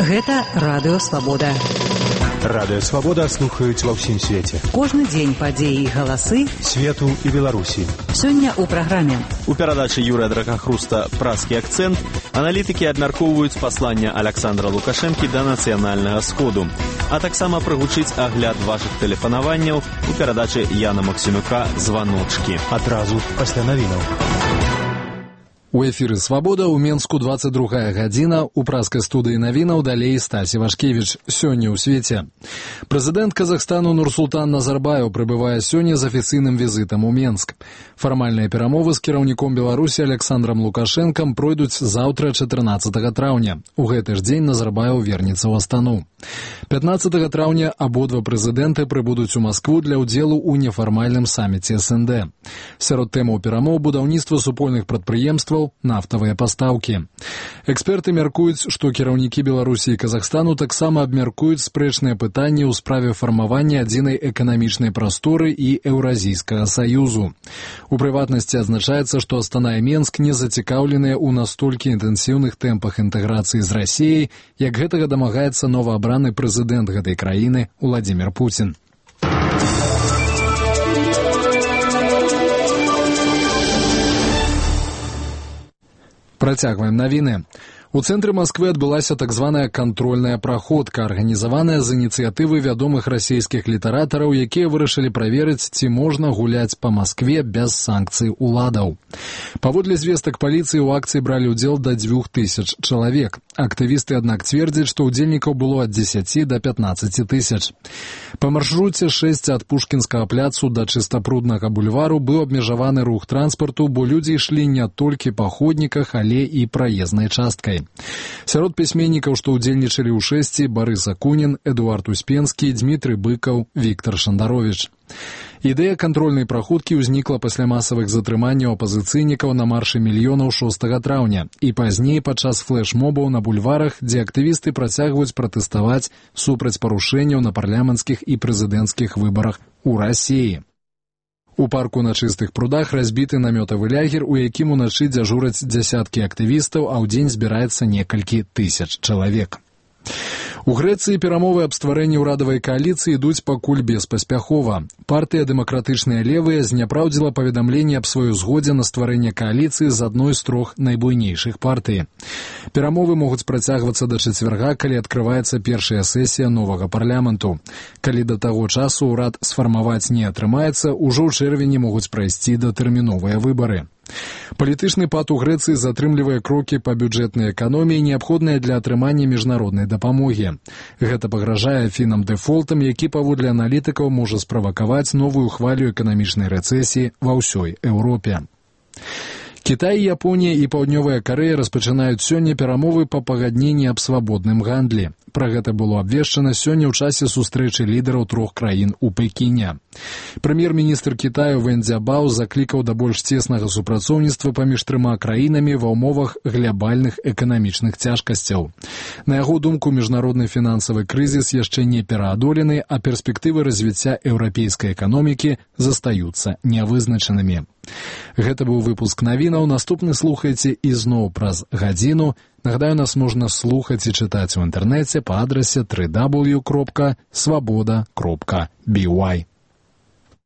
Гэта Радыё Свабода. Радыё Свабода слухаюць ва ўсім свеце. Кожны дзень падзеі і галасы свету і Беларусі. Сёння ў праграме. У перадачы Юрыя Дракахруста «Празкі акцэнт» аналітыкі абмяркоўваюць пасланне Александра Лукашэнкі да нацыянальнага сходу, а таксама прагучыць агляд вашых тэлефанаванняў у перадачы Яна Максімюка «Званочкі». Адразу пасля навінаў. У эфіры «Свабода» ў Менску 22 гадзіна, у празкай студыі навінаў далей Стась Івашкевіч. Сёння ў свеце. Прэзідэнт Казахстану Нурсултан Назарбаев прыбывае сёння з афіцыйным візітам у Менск. Фармальныя перамовы з кіраўніком Беларусі Александрам Лукашэнкам пройдуць заўтра 14 траўня. У гэты ж дзень Назарбаев вернецца ў Астану. 15 траўня абодва прэзідэнты прыбудуць у Маскву для ўдзелу ў нефармальным саміце СНД. Сярод тэмаў перамоў будаўніцтва супольных прадпрыемстваў, нафтавыя пастаўкі. Эксперты мяркуюць, што кіраўнікі Беларусі і Казахстану таксама абмяркуюць спрэчныя пытанні ў справе фармавання адзінай эканамічнай прасторы і Еўразійскага саюзу. У прыватнасці адзначаецца, што Астана і Менск не зацікаўленыя ў настолькі інтэнсіўных тэмпах інтэграцыі з Расіяй, як гэтага дамагаецца новаабраны прэзідэнт гэтай краіны Уладзімір Пуцін. Працягваем навіны. У цэнтры Масквы адбылася так званая кантрольная праходка, арганізаваная з ініцыятывы вядомых расійскіх літаратараў, якія вырашылі праверыць, ці можна гуляць па Маскве без санкцый уладаў. Паводле звестак паліцыі ў акцыі бралі ўдзел да 2000 чалавек. Актывісты, аднак, цвердзяць, што ўдзельнікаў было ад 10 да 15 тысяч. Па маршруце 6 ад Пушкінскага пляцу да Чыстапруднага бульвару быў абмежаваны рух транспарту, бо людзі ішлі не толькі па ходніках, але і праезнай часткай. Сярод пісьменнікаў, што ўдзельнічалі ў шэсці, Барыс Акунін, Эдуард Успенскі, Дмітрый Быкаў, Віктар Шандаровіч. Ідэя кантрольнай праходкі ўзнікла пасля масавых затрыманняў апазіцыйнікаў на маршы мільёнаў 6 траўня і пазней падчас флэш-мобаў на бульварах, дзе актывісты працягваюць пратэставаць супраць парушэнняў на парламенцкіх і прэзідэнцкіх выбарах у Расіі. У парку на Чыстых прудах разбіты намётавы лагер, у якім уначы дзяжураць дзясяткі актывістаў, а ў дзень збіраецца некалькі тысяч чалавек. У Грэцыі перамовы аб стварэнні ўрадавай кааліцыі ідуць пакуль беспаспяхова. Партыя «Дэмакратычныя левыя» зняпраўдзіла паведамленне аб сваёй згодзе на стварэнне кааліцыі з адной з трох найбуйнейшых партый. Перамовы могуць працягвацца да чацвярга, калі адкрываецца першая сесія новага парламенту. Калі да таго часу ўрад сфармаваць не атрымаецца, ужо ў чэрвені могуць прайсці датэрміновыя выбары. Палітычны пад у Грэцыі затрымлівае крокі па бюджэтнай эканоміі, неабходныя для атрымання міжнароднай дапамогі. Гэта пагражае фінам дэфолтам, які, паводле аналітыкаў, можа справакаваць новую хвалю эканамічнай рэцэсіі ва ўсёй Еўропе. Кітай, Японія і Паўднёвая Карэя распачынаюць сёння перамовы па пагадненні аб свабодным гандлі. Пра гэта было абвешчана сёння ў часе сустрэчы лідараў трох краін у Пекіне. Прэм'ер-міністр Кітаю Вэн Цзябао заклікаў да больш цеснага супрацоўніцтва паміж трыма краінамі ва ўмовах глябальных эканамічных цяжкасцяў. На яго думку, міжнародны фінансавы крызіс яшчэ не пераадолены, а перспектывы развіцця еўрапейскай эканомікі застаюцца нявызначанымі. Гэта быў выпуск навінаў. Наступны слухайце ізноў праз гадзіну. Нагадаю, нас можна слухаць і чытаць у інтэрнэце па адрасе www.swaboda.by.